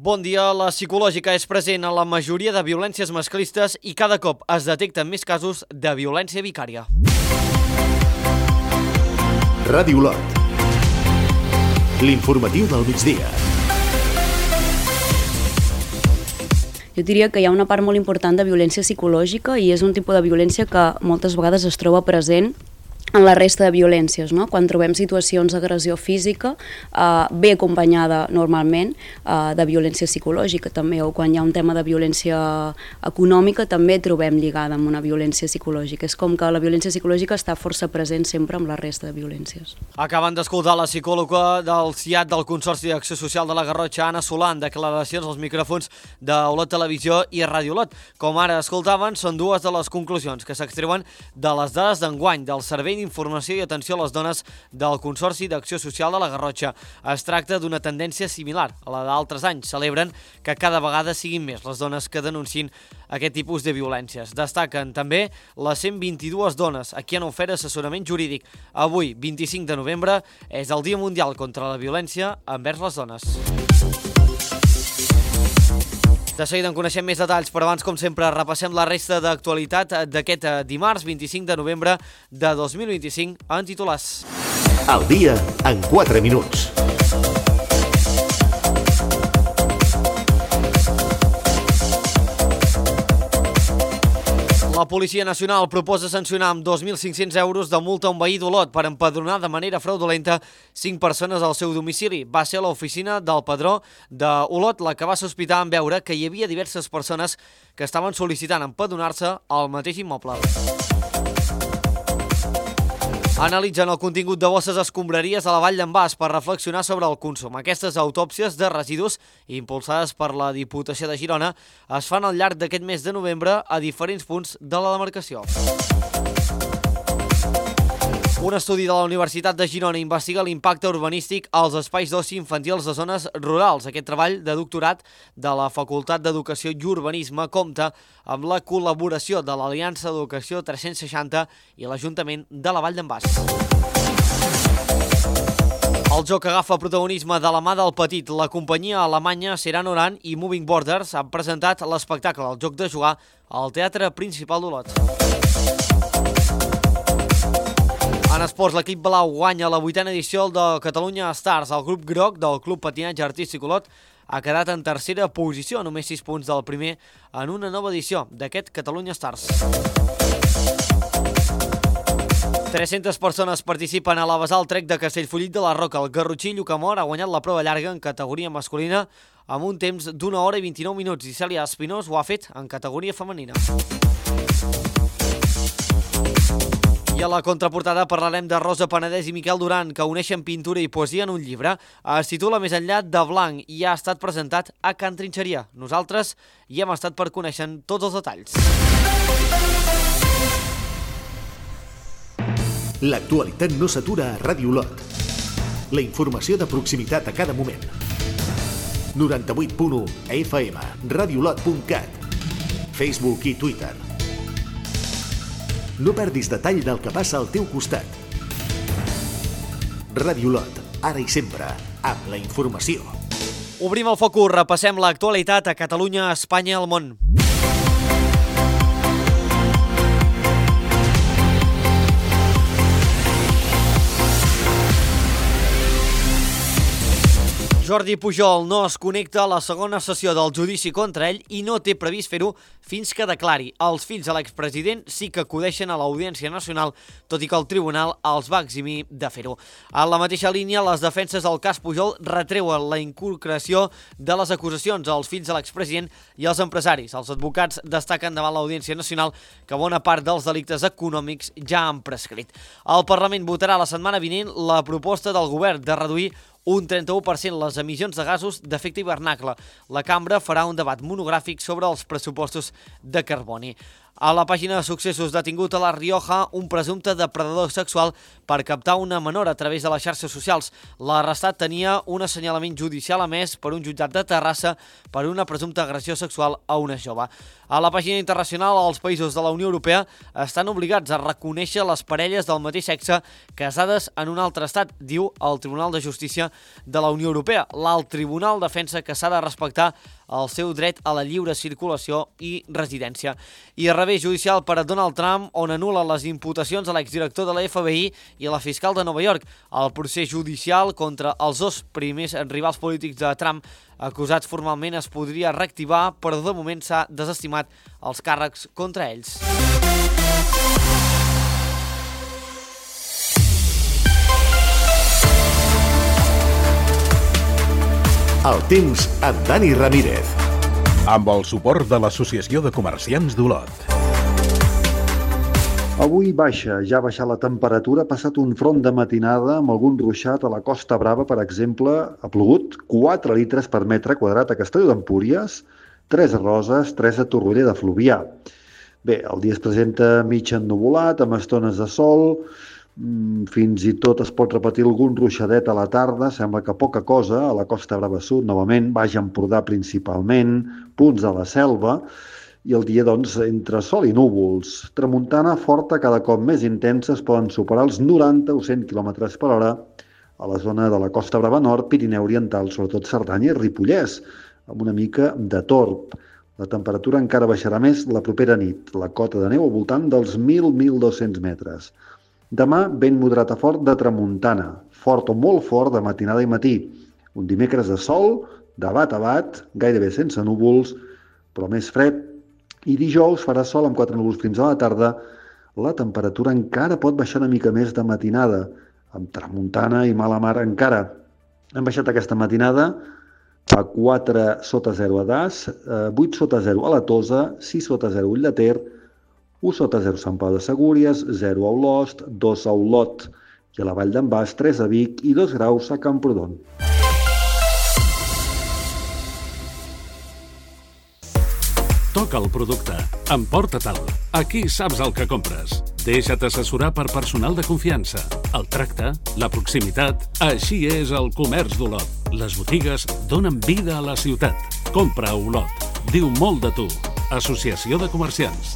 Bon dia, la psicològica és present en la majoria de violències masclistes i cada cop es detecten més casos de violència vicària. Ràdio Lot. L'informatiu del migdia. Jo diria que hi ha una part molt important de violència psicològica i és un tipus de violència que moltes vegades es troba present en la resta de violències, no? Quan trobem situacions d'agressió física, ve acompanyada normalment de violència psicològica també, o quan hi ha un tema de violència econòmica també trobem lligada amb una violència psicològica. És com que la violència psicològica està força present sempre amb la resta de violències. Acaben d'escoltar la psicòloga del CIAT del Consorci d'Acció Social de la Garrotxa, Anna Solà, en declaracions als micròfons d'Olot Televisió i Ràdio Olot. Com ara escoltaven, són dues de les conclusions que s'extreuen de les dades d'enguany del Servei d'Informació i Atenció a les Dones del Consorci d'Acció Social de la Garrotxa. Es tracta d'una tendència similar a la d'altres anys. Celebren que cada vegada siguin més les dones que denuncin aquest tipus de violències. Destaquen també les 122 dones a qui han ofert assessorament jurídic. Avui, 25 de novembre, és el Dia Mundial contra la Violència envers les dones. De seguida en coneixem més detalls, però abans, com sempre, repassem la resta d'actualitat d'aquest dimarts 25 de novembre de 2025 en titulars. El dia en 4 minuts. La Policia Nacional proposa sancionar amb 2.500 euros de multa a un veí d'Olot per empadronar de manera fraudulenta 5 persones al seu domicili. Va ser l'oficina del padró d'Olot la que va sospitar en veure que hi havia diverses persones que estaven sol·licitant empadronar-se al mateix immoble. Analitzen el contingut de bosses escombraries a la Vall d'en Bas per reflexionar sobre el consum. Aquestes autòpsies de residus, impulsades per la Diputació de Girona, es fan al llarg d'aquest mes de novembre a diferents punts de la demarcació. Un estudi de la Universitat de Girona investiga l'impacte urbanístic als espais d'oci infantils de zones rurals. Aquest treball de doctorat de la Facultat d'Educació i Urbanisme compta amb la col·laboració de l'Aliança d'Educació 360 i l'Ajuntament de la Vall d'en Bas. El joc agafa protagonisme de la mà del petit. La companyia alemanya Seran Oran i Moving Borders han presentat l'espectacle El joc de jugar al Teatre Principal d'Olot. En esports, l'equip blau guanya la 8a edició de Catalunya Stars. El grup groc del Club Patinatge Artístic Olot ha quedat en tercera posició, només 6 punts del primer en una nova edició d'aquest Catalunya Stars. 300 persones participen a la Basal Trek de Castellfollit de la Roca. El garrotxí Llucamor ha guanyat la prova llarga en categoria masculina amb un temps d'1 hora i 29 minuts i Cèlia Espinós ho ha fet en categoria femenina. I a la contraportada parlarem de Rosa Penedès i Miquel Duran, que uneixen pintura i poesia en un llibre. Es titula Més enllà de blanc i ha estat presentat a Can Trinxeria. Nosaltres hi hem estat per conèixer tots els detalls. L'actualitat no s'atura a Ràdio Lot. La informació de proximitat a cada moment. 98.1 FM, radiolot.cat, Facebook i Twitter. No perdis detall del que passa al teu costat. Ràdio Lot, ara i sempre, amb la informació. Obrim el focus, repassem l'actualitat a Catalunya, Espanya i el món. Jordi Pujol no es connecta a la segona sessió del judici contra ell i no té previst fer-ho fins que declari. Els fills de l'expresident sí que acudeixen a l'Audiència Nacional, tot i que el tribunal els va eximir de fer-ho. En la mateixa línia, les defenses del cas Pujol retreuen la inculcació de les acusacions als fills de l'expresident i als empresaris. Els advocats destaquen davant l'Audiència Nacional que bona part dels delictes econòmics ja han prescrit. El Parlament votarà la setmana vinent la proposta del govern de reduir un 31% les emissions de gasos d'efecte hivernacle. La cambra farà un debat monogràfic sobre els pressupostos de carboni. A la pàgina de successos, detingut a La Rioja un presumpte depredador sexual per captar una menor a través de les xarxes socials. L'arrestat tenia un assenyalament judicial emès per un jutjat de Terrassa per una presumpta agressió sexual a una jove. A la pàgina internacional, els països de la Unió Europea estan obligats a reconèixer les parelles del mateix sexe casades en un altre estat, diu el Tribunal de Justícia de la Unió Europea. L'alt tribunal defensa que s'ha de respectar el seu dret a la lliure circulació i residència. I revés judicial per a Donald Trump, on anul·la les imputacions a l'exdirector de la FBI i a la fiscal de Nova York. El procés judicial contra els dos primers rivals polítics de Trump acusats formalment es podria reactivar, però de moment s'ha desestimat els càrrecs contra ells. El temps amb Dani Ramírez. Amb el suport de l'Associació de Comerciants d'Olot. Avui ja ha baixat la temperatura, ha passat un front de matinada amb algun ruixat a la Costa Brava, per exemple, ha plogut 4 litres per metre quadrat a Castelló d'Empúries, 3 a Roses, 3 a Torroella de Fluvià. Bé, el dia es presenta mig ennuvolat, amb estones de sol, fins i tot es pot repetir algun ruixadet a la tarda, sembla que poca cosa, a la Costa Brava Sud, novament, Baix Empordà principalment, punts de la Selva, i el dia, doncs, entre sol i núvols. Tramuntana forta, cada cop més intensa, es poden superar els 90 o 100 km per hora a la zona de la Costa Brava Nord, Pirineu Oriental, sobretot Cerdanya i Ripollès, amb una mica de torb. La temperatura encara baixarà més la propera nit, la cota de neu al voltant dels 1.000-1.200 metres. Demà, vent moderat a fort de tramuntana, fort o molt fort de matinada i matí. Un dimecres de sol, de bat a bat, gairebé sense núvols, però més fred. I dijous farà sol amb 4 núvols fins a la tarda. La temperatura encara pot baixar una mica més de matinada, amb tramuntana i mala mar encara. Hem baixat aquesta matinada a 4 sota 0 a Das, 8 sota 0 a la Tosa, 6 sota 0 a Ull de Ter, 1 sota 0 a Sant Pau de Segúries, 0 a Olost, 2 a Olot i a la Vall d'en Bas, 3 a Vic i 2 graus a Camprodon. Toca el producte, emporta-te'l. Aquí saps el que compres. Deixa't assessorar per personal de confiança. El tracte, la proximitat, així és el comerç d'Olot. Les botigues donen vida a la ciutat. Compra a Olot. Diu molt de tu. Associació de Comerciants.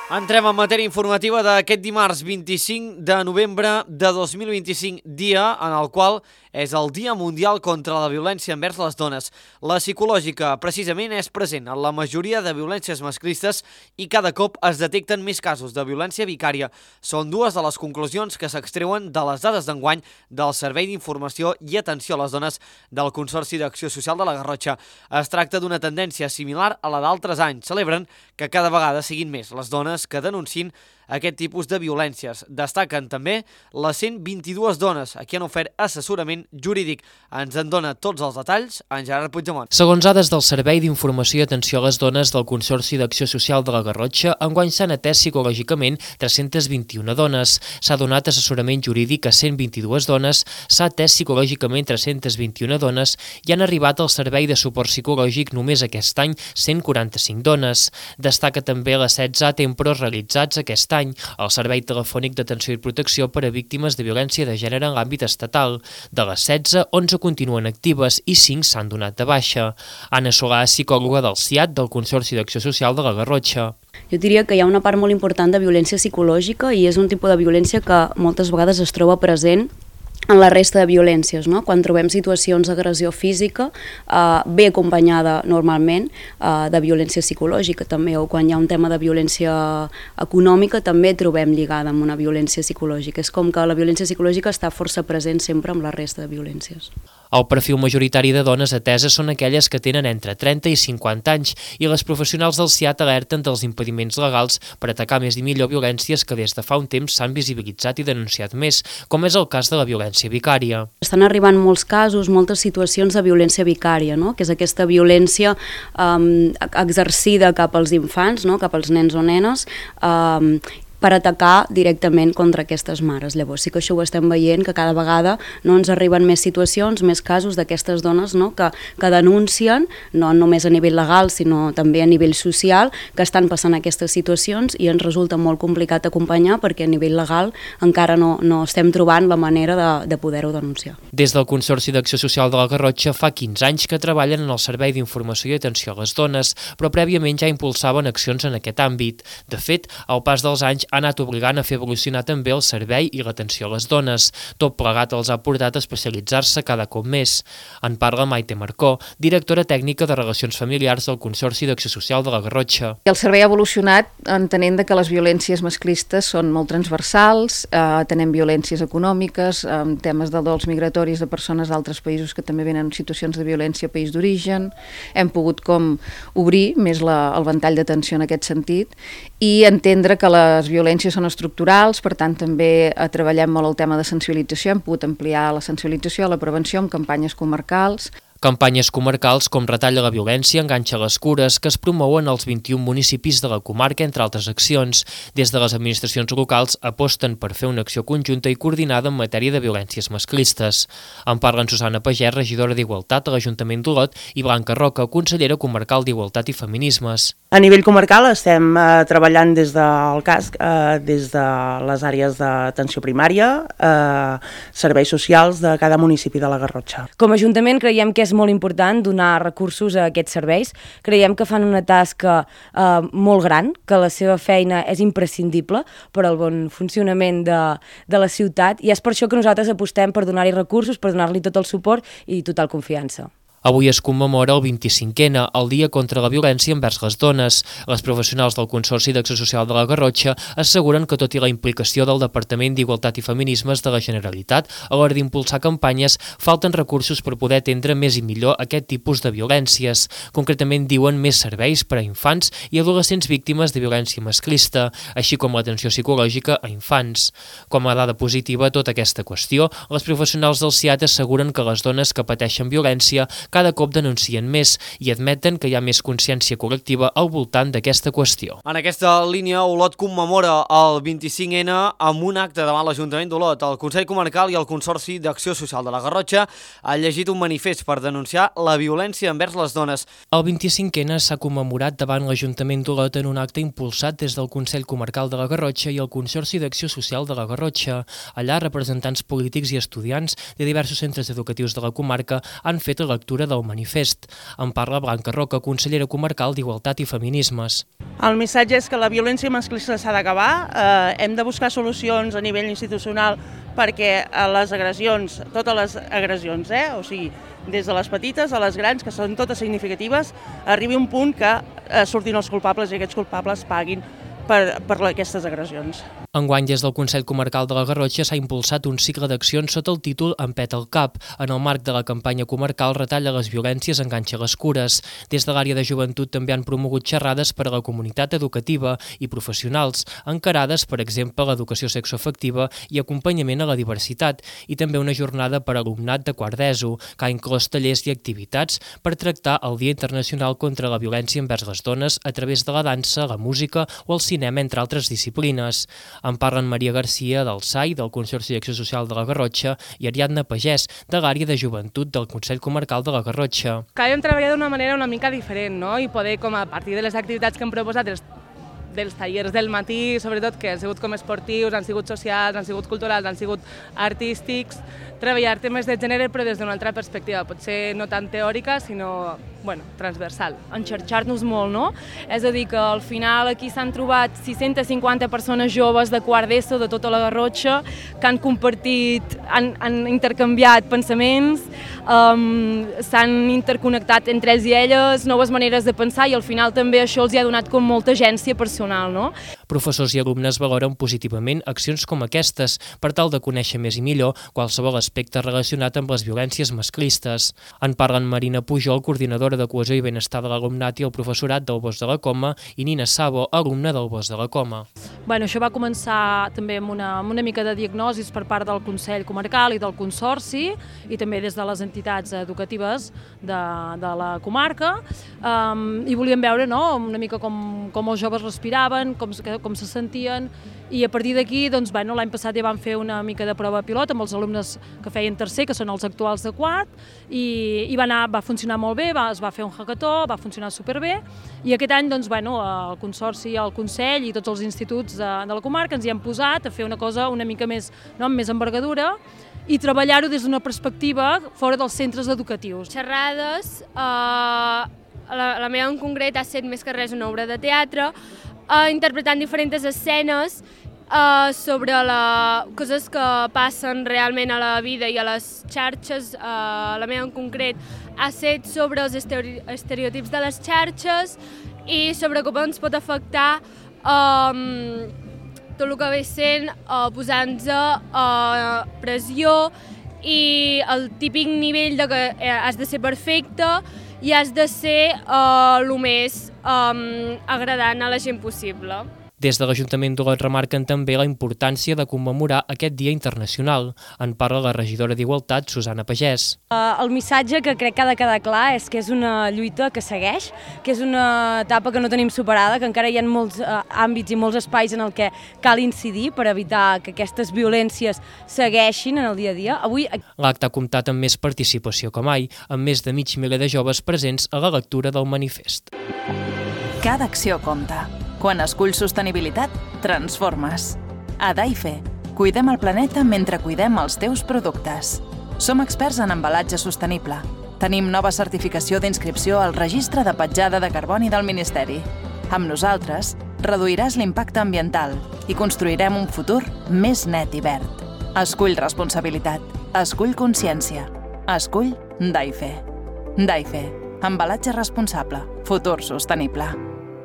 Entrem en matèria informativa d'aquest dimarts 25 de novembre de 2025, dia en el qual és el Dia Mundial contra la Violència envers les dones. La psicològica, precisament, és present en la majoria de violències masclistes i cada cop es detecten més casos de violència vicària. Són dues de les conclusions que s'extreuen de les dades d'enguany del Servei d'Informació i Atenció a les Dones del Consorci d'Acció Social de la Garrotxa. Es tracta d'una tendència similar a la d'altres anys. Celebren que cada vegada siguin més les dones que denuncin aquest tipus de violències. Destaquen també les 122 dones a qui han ofert assessorament jurídic. Ens en dona tots els detalls en Gerard Puigdemont. Segons dades del Servei d'Informació i Atenció a les Dones del Consorci d'Acció Social de la Garrotxa, enguany s'han atès psicològicament 321 dones. S'ha donat assessorament jurídic a 122 dones, s'ha atès psicològicament 321 dones i han arribat al servei de suport psicològic només aquest any 145 dones. Destaca també les 16 tempros realitzats aquest any al Servei Telefònic d'Atenció i Protecció per a Víctimes de Violència de Gènere en l'àmbit estatal. De les 16, 11 continuen actives i 5 s'han donat de baixa. Anna Solà, psicòloga del CIAT del Consorci d'Acció Social de la Garrotxa. Jo diria que hi ha una part molt important de violència psicològica i és un tipus de violència que moltes vegades es troba present en la resta de violències, no? Quan trobem situacions d'agressió física, ve acompanyada normalment de violència psicològica també, o quan hi ha un tema de violència econòmica també trobem lligada amb una violència psicològica. És com que la violència psicològica està força present sempre amb la resta de violències. El perfil majoritari de dones ateses són aquelles que tenen entre 30 i 50 anys i les professionals del CIAT alerten dels impediments legals per atacar més i millor violències que des de fa un temps s'han visibilitzat i denunciat més, com és el cas de la violència vicària. Estan arribant molts casos, moltes situacions de violència vicària, no? Que és aquesta violència exercida cap als infants, no? Cap als nens o nenes, per atacar directament contra aquestes mares. Llavors sí que això ho estem veient, que cada vegada ens arriben més situacions, més casos d'aquestes dones que denuncien, no només a nivell legal, sinó també a nivell social, que estan passant aquestes situacions i ens resulta molt complicat acompanyar perquè a nivell legal encara no estem trobant la manera de poder-ho denunciar. Des del Consorci d'Acció Social de la Garrotxa fa 15 anys que treballen en el Servei d'Informació i Atenció a les Dones, però prèviament ja impulsaven accions en aquest àmbit. De fet, al pas dels anys ha anat obligant a fer evolucionar també el servei i l'atenció a les dones. Tot plegat els ha portat a especialitzar-se cada cop més. En parla Maite Marcó, directora tècnica de Relacions Familiars del Consorci d'Acció Social de la Garrotxa. El servei ha evolucionat entenent que les violències masclistes són molt transversals, tenem violències econòmiques, temes de dols migratoris de persones d'altres països que també venen en situacions de violència a país d'origen. Hem pogut com obrir més el ventall d'atenció en aquest sentit i entendre que les violències són estructurals, per tant també treballem molt el tema de sensibilització, hem pogut ampliar la sensibilització, la prevenció amb campanyes comarcals. Campanyes comarcals com Retalla la violència, enganxa les cures, que es promouen als 21 municipis de la comarca, entre altres accions. Des de les administracions locals aposten per fer una acció conjunta i coordinada en matèria de violències masclistes. En parlen Susana Pagès, regidora d'Igualtat a l'Ajuntament d'Olot, i Blanca Roca, consellera comarcal d'Igualtat i Feminismes. A nivell comarcal estem treballant des del CASC, des de les àrees d'atenció primària, serveis socials de cada municipi de la Garrotxa. Com a Ajuntament creiem que és molt important donar recursos a aquests serveis. Creiem que fan una tasca molt gran, que la seva feina és imprescindible per al bon funcionament de la ciutat i és per això que nosaltres apostem per donar-hi recursos, per donar-li tot el suport i total confiança. Avui es commemora el 25è, el Dia contra la Violència envers les Dones. Les professionals del Consorci d'Acció Social de la Garrotxa asseguren que tot i la implicació del Departament d'Igualtat i Feminismes de la Generalitat a l'hora d'impulsar campanyes, falten recursos per poder atendre més i millor aquest tipus de violències. Concretament diuen més serveis per a infants i adolescents víctimes de violència masclista, així com l'atenció psicològica a infants. Com a dada positiva a tota aquesta qüestió, les professionals del CIAT asseguren que les dones que pateixen violència cada cop denuncien més i admeten que hi ha més consciència col·lectiva al voltant d'aquesta qüestió. En aquesta línia, Olot commemora el 25N amb un acte davant l'Ajuntament d'Olot. El Consell Comarcal i el Consorci d'Acció Social de la Garrotxa han llegit un manifest per denunciar la violència envers les dones. El 25N s'ha commemorat davant l'Ajuntament d'Olot en un acte impulsat des del Consell Comarcal de la Garrotxa i el Consorci d'Acció Social de la Garrotxa. Allà, representants polítics i estudiants de diversos centres educatius de la comarca han fet la lectura del manifest. En parla Blanca Roca, consellera comarcal d'Igualtat i Feminismes. El missatge és que la violència masclista s'ha d'acabar, hem de buscar solucions a nivell institucional perquè les agressions, totes les agressions, o sigui, des de les petites a les grans, que són totes significatives, arribi un punt que surtin els culpables i aquests culpables paguin per aquestes agressions. Enguany, des del Consell Comarcal de la Garrotxa s'ha impulsat un cicle d'accions sota el títol Empeta el cap, en el marc de la campanya comarcal Retalla les violències, enganxa les cures. Des de l'àrea de joventut també han promogut xerrades per a la comunitat educativa i professionals, encarades, per exemple, a l'educació sexoafectiva i acompanyament a la diversitat, i també una jornada per a alumnat de quart d'ESO, que ha inclòs tallers i activitats per tractar el Dia Internacional contra la Violència envers les Dones a través de la dansa, la música o el cinema, entre altres disciplines. En parlen Maria Garcia del SAI, del Consorci d'Acció Social de la Garrotxa, i Ariadna Pagès, de l'àrea de joventut del Consell Comarcal de la Garrotxa. Que hem treballat d'una manera una mica diferent, no? I poder, com a partir de les activitats que hem proposat, dels tallers del matí, sobretot, que han sigut com esportius, han sigut socials, han sigut culturals, han sigut artístics, treballar temes de gènere però des d'una altra perspectiva, potser no tan teòrica, sinó transversal. Enxarxar-nos molt, no? És a dir, que al final aquí s'han trobat 650 persones joves de quart d'ESO de tota la Garrotxa que han compartit, han intercanviat pensaments, s'han interconnectat entre ells i elles, noves maneres de pensar, i al final també això els ha donat com molta agència personal, no? Professors i alumnes valoren positivament accions com aquestes per tal de conèixer més i millor qualsevol aspecte relacionat amb les violències masclistes. En parlen Marina Pujol, coordinadora de Cohesió i Benestar de l'Alumnat i el professorat del Bosc de la Coma, i Nina Sabo, alumna del Bosc de la Coma. Això va començar també amb una mica de diagnosis per part del Consell Comarcal i del Consorci, i també des de les entitats educatives de la comarca, i volíem veure una mica com els joves respiraven, com se sentien, i a partir d'aquí l'any passat ja vam fer una mica de prova pilot amb els alumnes que feien tercer, que són els actuals de quart, i va funcionar molt bé, es va fer un hackathó, va funcionar superbé, i aquest any el Consorci, el Consell i tots els instituts de la comarca ens hi hem posat a fer una cosa una mica més, amb més envergadura, i treballar-ho des d'una perspectiva fora dels centres educatius. Xerrades, la meva en concret ha estat més que res una obra de teatre, interpretant diferents escenes sobre coses que passen realment a la vida i a les xarxes. La meva en concret ha estat sobre els estereotips de les xarxes i sobre com ens pot afectar tot el que ve sent posant-nos pressió i el típic nivell de que has de ser perfecte i has de ser el més agradant a la gent possible. Des de l'Ajuntament d'Olot remarquen també la importància de commemorar aquest Dia Internacional. En parla la regidora d'Igualtat, Susana Pagès. El missatge que crec que ha de quedar clar és que és una lluita que segueix, que és una etapa que no tenim superada, que encara hi ha molts àmbits i molts espais en el que cal incidir per evitar que aquestes violències segueixin en el dia a dia. L'acte ha comptat amb més participació que mai, amb més de mig miler de joves presents a la lectura del manifest. Cada acció compta. Quan esculls sostenibilitat, transformes. A Daife, cuidem el planeta mentre cuidem els teus productes. Som experts en embalatge sostenible. Tenim nova certificació d'inscripció al Registre de Petjada de Carboni del Ministeri. Amb nosaltres, reduiràs l'impacte ambiental i construirem un futur més net i verd. Escull responsabilitat. Escull consciència. Escull Daife. Daife, embalatge responsable. Futur sostenible.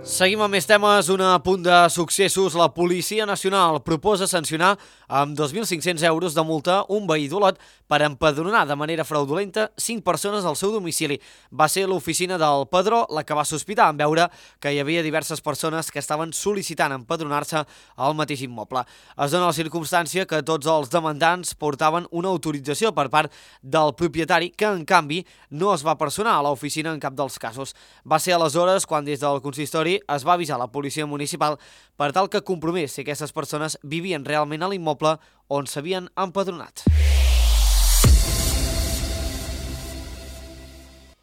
Seguim amb més temes. Un apunt de successos. La Policia Nacional proposa sancionar amb 2.500 euros de multa un veí d'Olot per empadronar de manera fraudulenta 5 persones al seu domicili. Va ser l'oficina del padró la que va sospitar en veure que hi havia diverses persones que estaven sol·licitant empadronar-se al mateix immoble. Es dona la circumstància que tots els demandants portaven una autorització per part del propietari que, en canvi, no es va personar a l'oficina en cap dels casos. Va ser aleshores quan des del consistori es va avisar la policia municipal per tal que compromés si aquestes persones vivien realment a l'immoble on s'havien empadronat.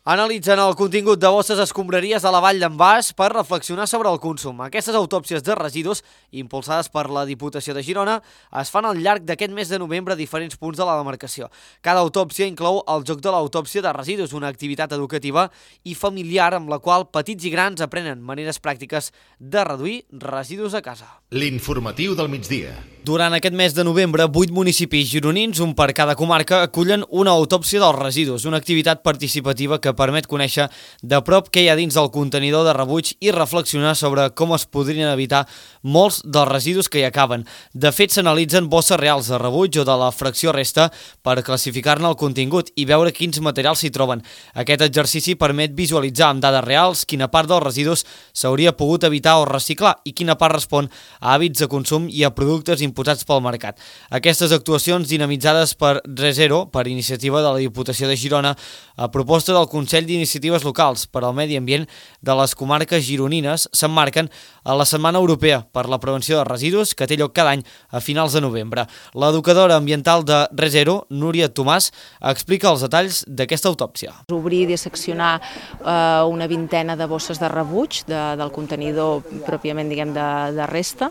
Analitzen el contingut de bosses escombraries a la Vall d'en Bas per reflexionar sobre el consum. Aquestes autòpsies de residus, impulsades per la Diputació de Girona, es fan al llarg d'aquest mes de novembre a diferents punts de la demarcació. Cada autòpsia inclou el joc de l'autòpsia de residus, una activitat educativa i familiar amb la qual petits i grans aprenen maneres pràctiques de reduir residus a casa. L'informatiu del migdia. Durant aquest mes de novembre, 8 municipis gironins, un per cada comarca, acullen una autòpsia dels residus, una activitat participativa que permet conèixer de prop què hi ha dins del contenidor de rebuig i reflexionar sobre com es podrien evitar molts dels residus que hi acaben. De fet, s'analitzen bosses reals de rebuig o de la fracció resta per classificar-ne el contingut i veure quins materials s'hi troben. Aquest exercici permet visualitzar amb dades reals quina part dels residus s'hauria pogut evitar o reciclar i quina part respon a hàbits de consum i a productes imposats pel mercat. Aquestes actuacions dinamitzades per ReZero, per iniciativa de la Diputació de Girona, a proposta del Consell d'Iniciatives Locals per al Medi Ambient de les comarques gironines, s'emmarquen a la Setmana Europea per la Prevenció de Residus, que té lloc cada any a finals de novembre. L'educadora ambiental de ReZero, Núria Tomàs, explica els detalls d'aquesta autòpsia. Obrir i seccionar una vintena de bosses de rebuig del contenidor pròpiament, diguem, de resta,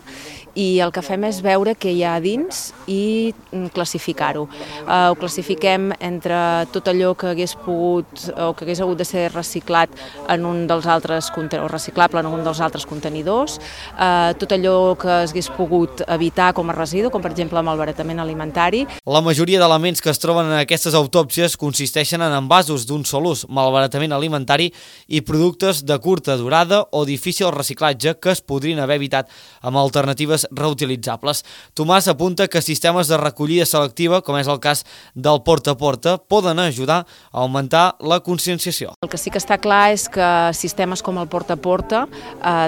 i el que fem és veure què hi ha dins i classificar-ho. Ho classifiquem entre tot allò que hagués pogut o que hagués hagut de ser reciclat en un dels altres o reciclable en un dels altres contenidors, tot allò que hagués pogut evitar com a residu, com per exemple el malbaratament alimentari. La majoria d'elements que es troben en aquestes autòpsies consisteixen en envasos d'un sol ús, malbaratament alimentari i productes de curta durada o difícil reciclatge que es podrien haver evitat amb alternatives reutilitzables. Tomàs apunta que sistemes de recollida selectiva, com és el cas del porta a porta, poden ajudar a augmentar la conscienciació conscienciació. El que sí que està clar és que sistemes com el porta a porta,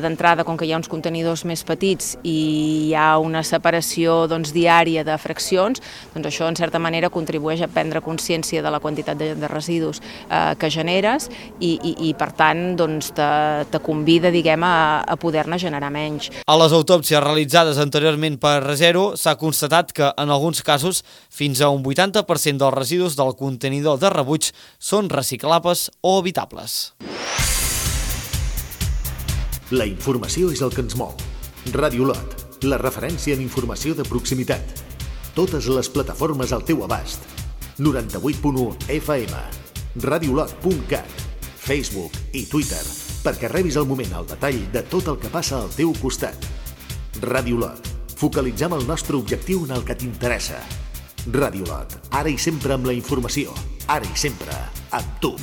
d'entrada, com que hi ha uns contenidors més petits i hi ha una separació diària de fraccions, doncs això en certa manera contribueix a prendre consciència de la quantitat de residus que generes i per tant te convida, diguem, a poder-ne generar menys. A les autòpsies realitzades anteriorment per Resero s'ha constatat que en alguns casos fins a un 80% dels residus del contenidor de rebuig són reciclables o evitables. La informació és el que ens mou. Ràdio Lot, la referència en informació de proximitat. Totes les plataformes al teu abast. 98.1 FM, radiolot.cat, Facebook i Twitter, perquè rebis al moment el detall de tot el que passa al teu costat. Ràdio Lot, focalitzem el nostre objectiu en el que t'interessa. Ràdio Lot, ara i sempre amb la informació, ara i sempre amb tu.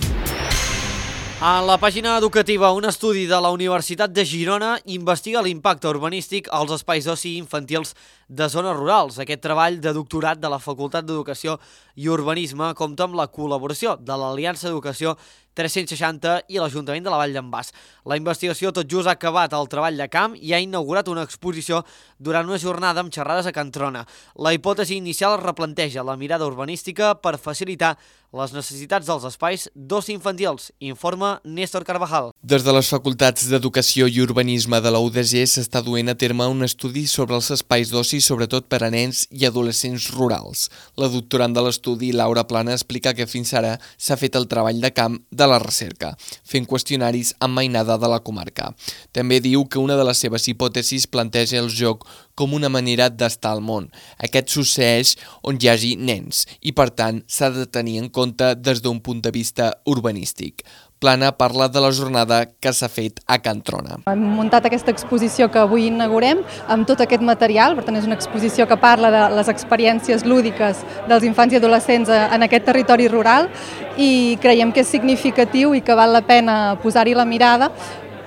A la pàgina educativa, un estudi de la Universitat de Girona investiga l'impacte urbanístic als espais d'oci infantils de zones rurals. Aquest treball de doctorat de la Facultat d'Educació i Urbanisme compta amb la col·laboració de l'Aliança d'Educació 360 i l'Ajuntament de la Vall d'en Bas. La investigació tot just ha acabat el treball de camp i ha inaugurat una exposició durant una jornada amb xerrades a Can Trona. La hipòtesi inicial replanteja la mirada urbanística per facilitar les necessitats dels espais d'oci infantils, informa Néstor Carvajal. Des de les Facultats d'Educació i Urbanisme de la UDG s'està duent a terme un estudi sobre els espais d'oci, sobretot per a nens i adolescents rurals. La doctorant de l'estudi, Laura Plana, explica que fins ara s'ha fet el treball de camp de la recerca, fent qüestionaris amb mainada de la comarca. També diu que una de les seves hipòtesis planteja el joc com una manera d'estar al món. Aquest succeeix on hi hagi nens i, per tant, s'ha de tenir en compte des d'un punt de vista urbanístic. Plana parla de la jornada que s'ha fet a Can Trona. Hem muntat aquesta exposició que avui inaugurem amb tot aquest material, per tant és una exposició que parla de les experiències lúdiques dels infants i adolescents en aquest territori rural i creiem que és significatiu i que val la pena posar-hi la mirada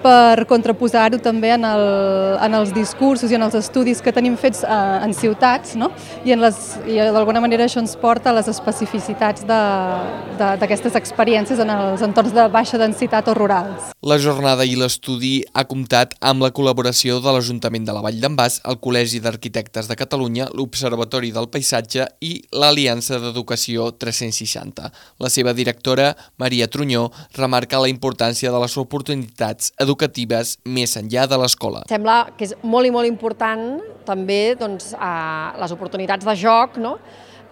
per contraposar-ho també en els discursos i en els estudis que tenim fets en ciutats, no? I d'alguna manera això ens porta a les especificitats d'aquestes experiències en els entorns de baixa densitat o rurals. La jornada i l'estudi ha comptat amb la col·laboració de l'Ajuntament de la Vall d'en Bas, el Col·legi d'Arquitectes de Catalunya, l'Observatori del Paisatge i l'Aliança d'Educació 360. La seva directora, Maria Trunyó, remarca la importància de les oportunitats educatives més enllà de l'escola. Sembla que és molt i molt important també les oportunitats de joc, no?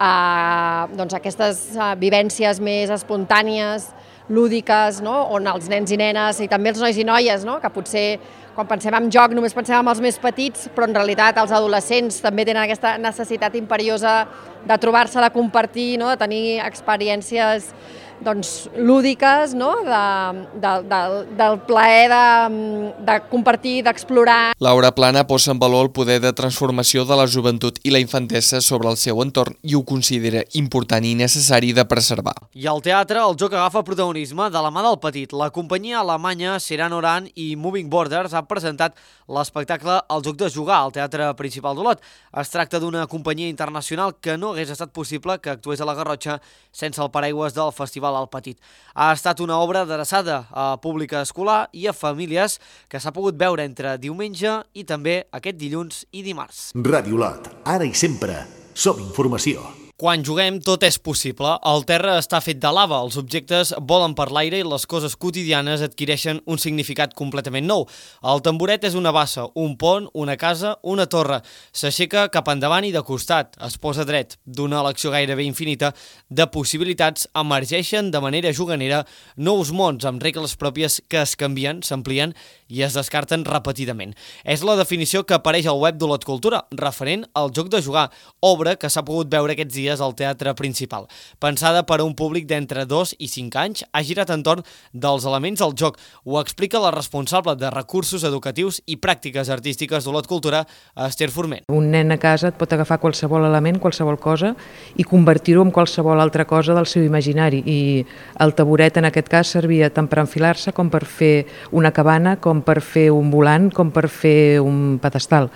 Aquestes vivències més espontànies, lúdiques, no? On els nens i nenes i també els nois i noies, no? Que potser quan pensem en joc només pensem en els més petits, però en realitat els adolescents també tenen aquesta necessitat imperiosa de trobar-se, de compartir, no? De tenir experiències lúdiques, no? Del plaer de compartir, d'explorar. Laura Plana posa en valor el poder de transformació de la joventut i la infantesa sobre el seu entorn i ho considera important i necessari de preservar. I al teatre, el joc agafa protagonisme de la mà del petit. La companyia alemanya Seran Oran i Moving Borders ha presentat l'espectacle El joc de jugar al Teatre Principal d'Olot. Es tracta d'una companyia internacional que no hagués estat possible que actués a la Garrotxa sense el paraigües del Festival al Petit. Ha estat una obra adreçada a públic escolar i a famílies que s'ha pogut veure entre diumenge i també aquest dilluns i dimarts. Ràdio Lot, ara i sempre, som informació. Quan juguem, tot és possible. El terra està fet de lava, els objectes volen per l'aire i les coses quotidianes adquireixen un significat completament nou. El tamboret és una bassa, un pont, una casa, una torre. S'aixeca cap endavant i de costat, es posa dret. D'una elecció gairebé infinita de possibilitats emergeixen de manera juganera nous mons amb regles pròpies que es canvien, s'amplien i es descarten repetidament. És la definició que apareix al web d'Olot Cultura, referent al joc de jugar, obra que s'ha pogut veure aquests dies al Teatre Principal. Pensada per a un públic d'entre 2 i 5 anys, ha girat entorn dels elements del joc. Ho explica la responsable de recursos educatius i pràctiques artístiques d'Olot Cultura, Esther Forment. Un nen a casa et pot agafar qualsevol element, qualsevol cosa, i convertir-ho en qualsevol altra cosa del seu imaginari. I el taburet en aquest cas servia tant per enfilar-se com per fer una cabana, com per fer un volant, com per fer un pedestal.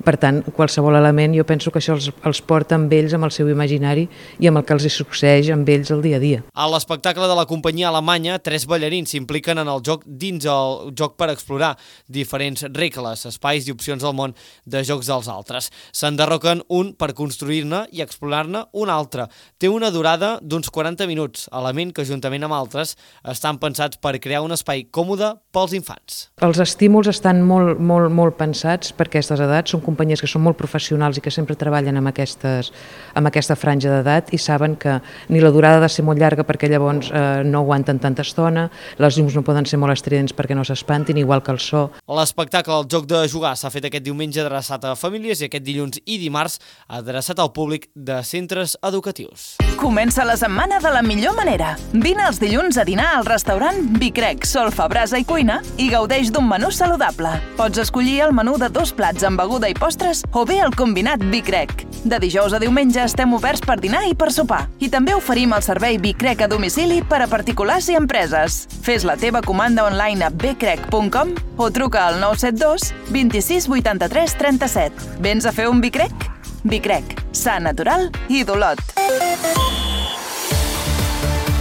Per tant, qualsevol element jo penso que això els porta amb ells, amb el seu imaginari i amb el que els succeeix amb ells el dia a dia. A l'espectacle de la companyia alemanya, 3 ballarins s'impliquen en el joc dins el joc per explorar diferents regles, espais i opcions del món de jocs dels altres. S'enderroquen un per construir-ne i explorar-ne un altre. Té una durada d'uns 40 minuts, element que juntament amb altres estan pensats per crear un espai còmode pels infants. Els estímuls estan molt pensats per aquestes edats, són companyies que són molt professionals i que sempre treballen amb aquesta franja d'edat i saben que ni la durada ha de ser molt llarga perquè llavors no aguanten tanta estona, les llums no poden ser molt estridents perquè no s'espantin, igual que el so. L'espectacle El joc de jugar s'ha fet aquest diumenge adreçat a famílies i aquest dilluns i dimarts adreçat al públic de centres educatius. Comença la setmana de la millor manera. Vine els dilluns a dinar al restaurant Vicrec, solfa, brasa i cuina i gaudeix d'un menú saludable. Pots escollir el menú de 2 plats amb beguda i postres o bé el combinat Vicrec. De dijous a diumenge estem oberts per dinar i per sopar. I també oferim el servei Vicrec a domicili per a particulars i empreses. Fes la teva comanda online a becrec.com o truca al 972 26 83 37. Vens a fer un Vicrec? Vicrec, sa, natural i d'Olot.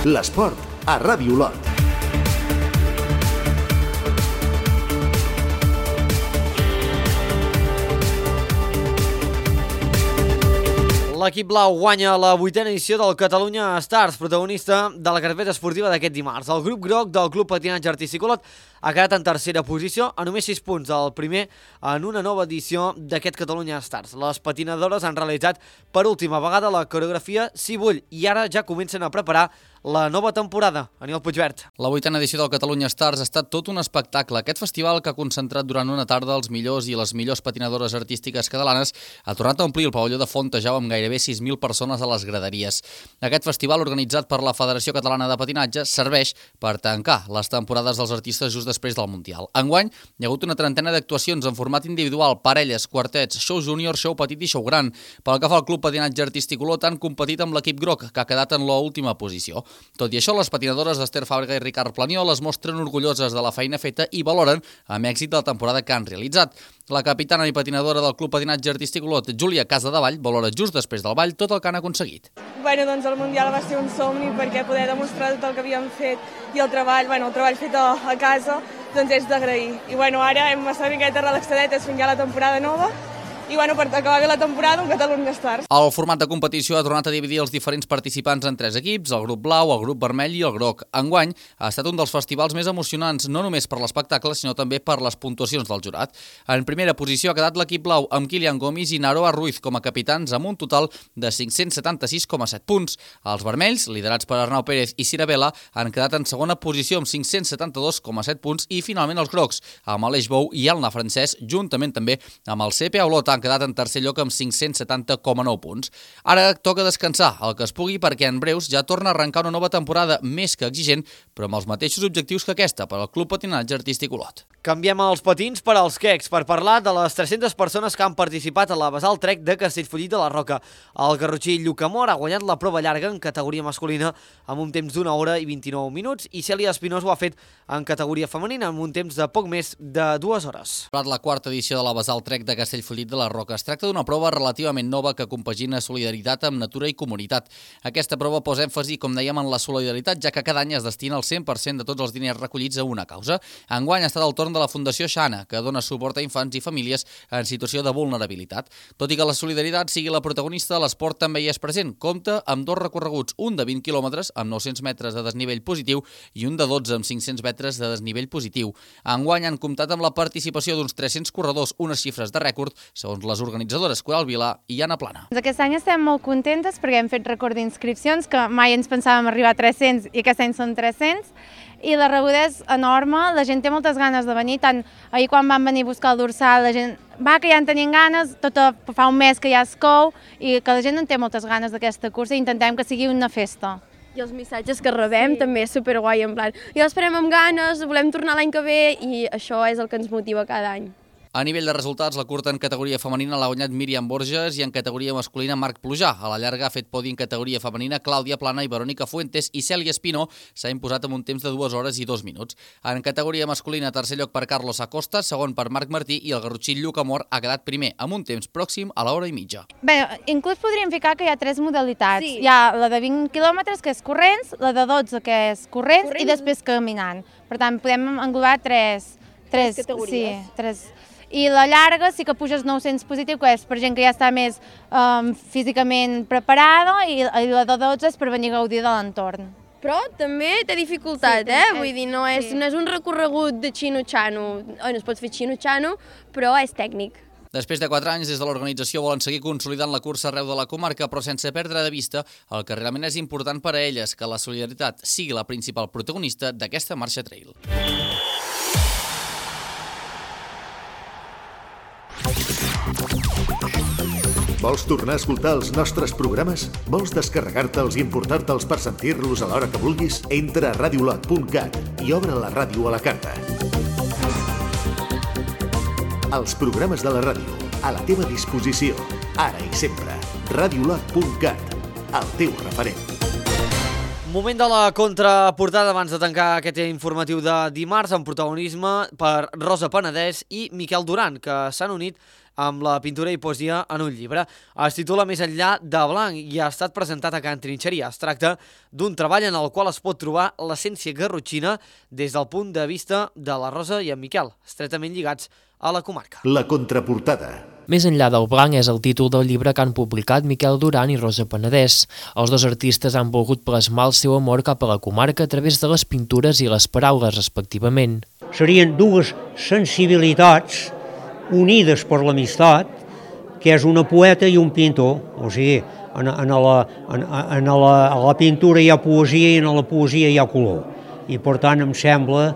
L'esport a Ràdio Olot. L'equip blau guanya la 8a edició del Catalunya Stars, protagonista de la carpeta esportiva d'aquest dimarts. El grup groc del Club Patinatge Artístic Olot ha quedat en tercera posició, a només 6 punts del primer en una nova edició d'aquest Catalunya Stars. Les patinadores han realitzat per última vegada la coreografia Si vull i ara ja comencen a preparar la nova temporada. Aniol Puigvert. La 8a edició del Catalunya Stars ha estat tot un espectacle. Aquest festival, que ha concentrat durant una tarda els millors i les millors patinadores artístiques catalanes, ha tornat a omplir el pavelló de Fontejau amb gairebé 6.000 persones a les graderies. Aquest festival, organitzat per la Federació Catalana de Patinatge, serveix per tancar les temporades dels artistes just després del Mundial. Enguany, hi ha hagut una trentena d'actuacions en format individual, parelles, quartets, show júnior, show petit i show gran. Pel que fa al Club Patinatge Artístic Olot, han competit amb l'equip groc, que ha quedat en l'última posició. Tot i això, les patinadores d'Ester Fàbrega i Ricard Planiol es mostren orgulloses de la feina feta i valoren amb èxit la temporada que han realitzat. La capitana i patinadora del Club Patinatge Artístic Olot, Júlia Casadevall, valora just després del ball tot el que han aconseguit. Doncs el Mundial va ser un somni perquè poder demostrar tot el que havíem fet i el treball fet a casa, doncs és d'agrair. I ara hem estat una miqueta relaxadetes fins ja la temporada nova i per acabar bé la temporada un Catalunya Stars. El format de competició ha tornat a dividir els diferents participants en 3 equips, el grup blau, el grup vermell i el groc. Enguany ha estat un dels festivals més emocionants, no només per l'espectacle, sinó també per les puntuacions del jurat. En primera posició ha quedat l'equip blau amb Kilian Gomis i Naroa Ruiz com a capitans amb un total de 576,7 punts. Els vermells, liderats per Arnau Pérez i Cira Vela, han quedat en segona posició amb 572,7 punts i finalment els grocs, amb Aleix Bou i Elna Francesc, juntament també amb el CPA Olot, han quedat en tercer lloc amb 570,9 punts. Ara toca descansar el que es pugui perquè en breus ja torna a arrencar una nova temporada més que exigent, però amb els mateixos objectius que aquesta per al Club Patinatge Artístic Olot. Canviem els patins per als quecs per parlar de les 300 persones que han participat a la Basal Trek de Castellfollit de la Roca. El garrotxí Lluc Amor ha guanyat la prova llarga en categoria masculina amb un temps d'1 hora i 29 minuts i Cèlia Espinós ho ha fet en categoria femenina amb un temps de poc més de 2 hores. La 4a edició de la Basal Trek de Castellfollit de la Roca. Es tracta d'una prova relativament nova que compagina solidaritat amb natura i comunitat. Aquesta prova posa èmfasi, com dèiem, en la solidaritat, ja que cada any es destina el 100% de tots els diners recollits a una causa. Enguany ha estat el torn de la Fundació Xana, que dona suport a infants i famílies en situació de vulnerabilitat. Tot i que la solidaritat sigui la protagonista, l'esport també hi és present. Compta amb 2 recorreguts, un de 20 quilòmetres amb 900 metres de desnivell positiu i un de 12 amb 500 metres de desnivell positiu. Enguany han comptat amb la participació d'uns 300 corredors, unes xifres de rècord, segons les organitzadores Coral Vila i Anna Plana. Aquest any estem molt contentes perquè hem fet rècord d'inscripcions, que mai ens pensàvem arribar a 300 i aquest any són 300, i la rebuda és enorme, la gent té moltes ganes de venir, tant ahir quan van venir a buscar el dorsal, la gent va que ja en tenien ganes, fa un mes que ja es cou, i que la gent en té moltes ganes d'aquesta cursa i intentem que sigui una festa. I els missatges que rebem també és superguai, en plan, ja l'esperem amb ganes, volem tornar l'any que ve i això és el que ens motiva cada any. A nivell de resultats, la curta en categoria femenina l'ha guanyat Míriam Borges i en categoria masculina Marc Plujà. A la llarga ha fet podi en categoria femenina Clàudia Plana i Verònica Fuentes i Cèlia Espino s'ha imposat amb un temps de 2 hores i 2 minuts. En categoria masculina, tercer lloc per Carlos Acosta, segon per Marc Martí i el garrotxí Lluc Amor ha quedat primer amb un temps pròxim a l'hora i mitja. Bé, inclús podríem ficar que hi ha 3 modalitats. Sí. Hi ha la de 20 quilòmetres, que és corrents, la de 12, que és corrents, i després caminant. Per tant, podem englobar 3 categories. Sí, 3. I la llarga sí que puges 900 positiu, que és per gent que ja està més físicament preparada, i la de 12 és per venir a gaudir de l'entorn. Però també té dificultat, Vull dir, no és un recorregut de xino-xano. No es pot fer xino-xano, però és tècnic. Després de 4 anys, des de l'organització volen seguir consolidant la cursa arreu de la comarca, però sense perdre de vista el que realment és important per a elles, que la solidaritat sigui la principal protagonista d'aquesta marxa trail. Vols tornar a escoltar els nostres programes? Vols descarregar-te'ls i emportar-te'ls per sentir-los a l'hora que vulguis? Entra a radiolot.cat i obre la ràdio a la carta. Els programes de la ràdio, a la teva disposició, ara i sempre. Radiolot.cat, el teu referent. Moment de la contraportada abans de tancar aquest informatiu de dimarts, amb protagonisme per Rosa Penedès i Miquel Duran, que s'han unit amb la pintura i poesia en un llibre. Es titula Més enllà de blanc i ha estat presentat a Can Trinxeria. Es tracta d'un treball en el qual es pot trobar l'essència garrotxina des del punt de vista de la Rosa i en Miquel, estretament lligats a la comarca. La contraportada. Més enllà del blanc és el títol del llibre que han publicat Miquel Duran i Rosa Penedès. Els dos artistes han volgut plasmar el seu amor cap a la comarca a través de les pintures i les paraules, respectivament. Serien dues sensibilitats unides per l'amistat, que és una poeta i un pintor. O sigui, a la pintura hi ha poesia i en la poesia hi ha color. I per tant em sembla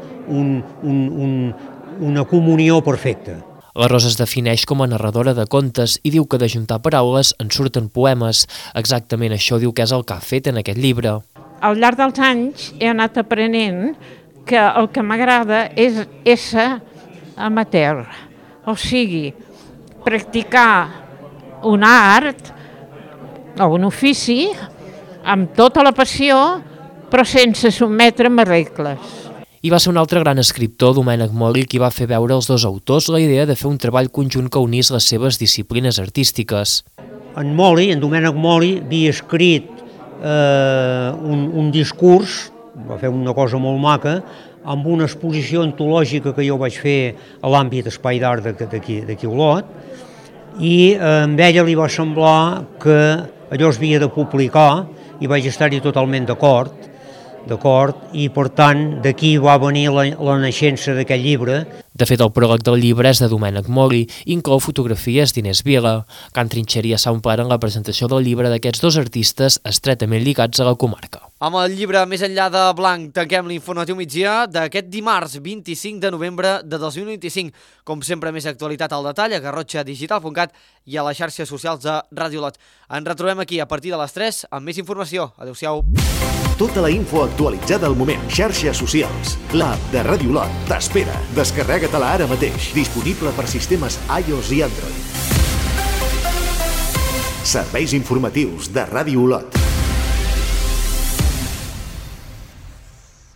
una comunió perfecta. La Rosa es defineix com a narradora de contes i diu que d'ajuntar paraules en surten poemes. Exactament això diu que és el que ha fet en aquest llibre. Al llarg dels anys he anat aprenent que el que m'agrada és ésser amateur. O sigui, practicar un art o un ofici amb tota la passió, però sense sotmetre'm a regles. I va ser un altre gran escriptor, Domènec Moli, qui va fer veure als dos autors la idea de fer un treball conjunt que unís les seves disciplines artístiques. En Domènec Moli, havia escrit un discurs, va fer una cosa molt maca, amb una exposició antològica que jo vaig fer a l'àmbit Espai d'Art d'aquí a Olot, i amb ella li va semblar que allò es havia de publicar i vaig estar-hi totalment d'acord, i per tant d'aquí va venir la naixença d'aquest llibre. De fet, el pròleg del llibre és de Domènec Moli i inclou fotografies d'Inés Vila. Can Trinxeria s'ha omplert en la presentació del llibre d'aquests dos artistes estretament lligats a la comarca. Amb el llibre Més enllà de blanc tanquem l'informatiu migdia d'aquest dimarts 25 de novembre de 2025. Com sempre, més actualitat al detall a garrotxadigital.cat i a les xarxes socials de Ràdio Lot. Ens retrobem aquí a partir de les 3 amb més informació. Adéu-siau. Tota la info actualitzada al moment. Xarxes socials. L'app de Ràdio Lot t'espera. Descarrega-te-la ara mateix. Disponible per sistemes iOS i Android. Serveis informatius de Ràdio Lot.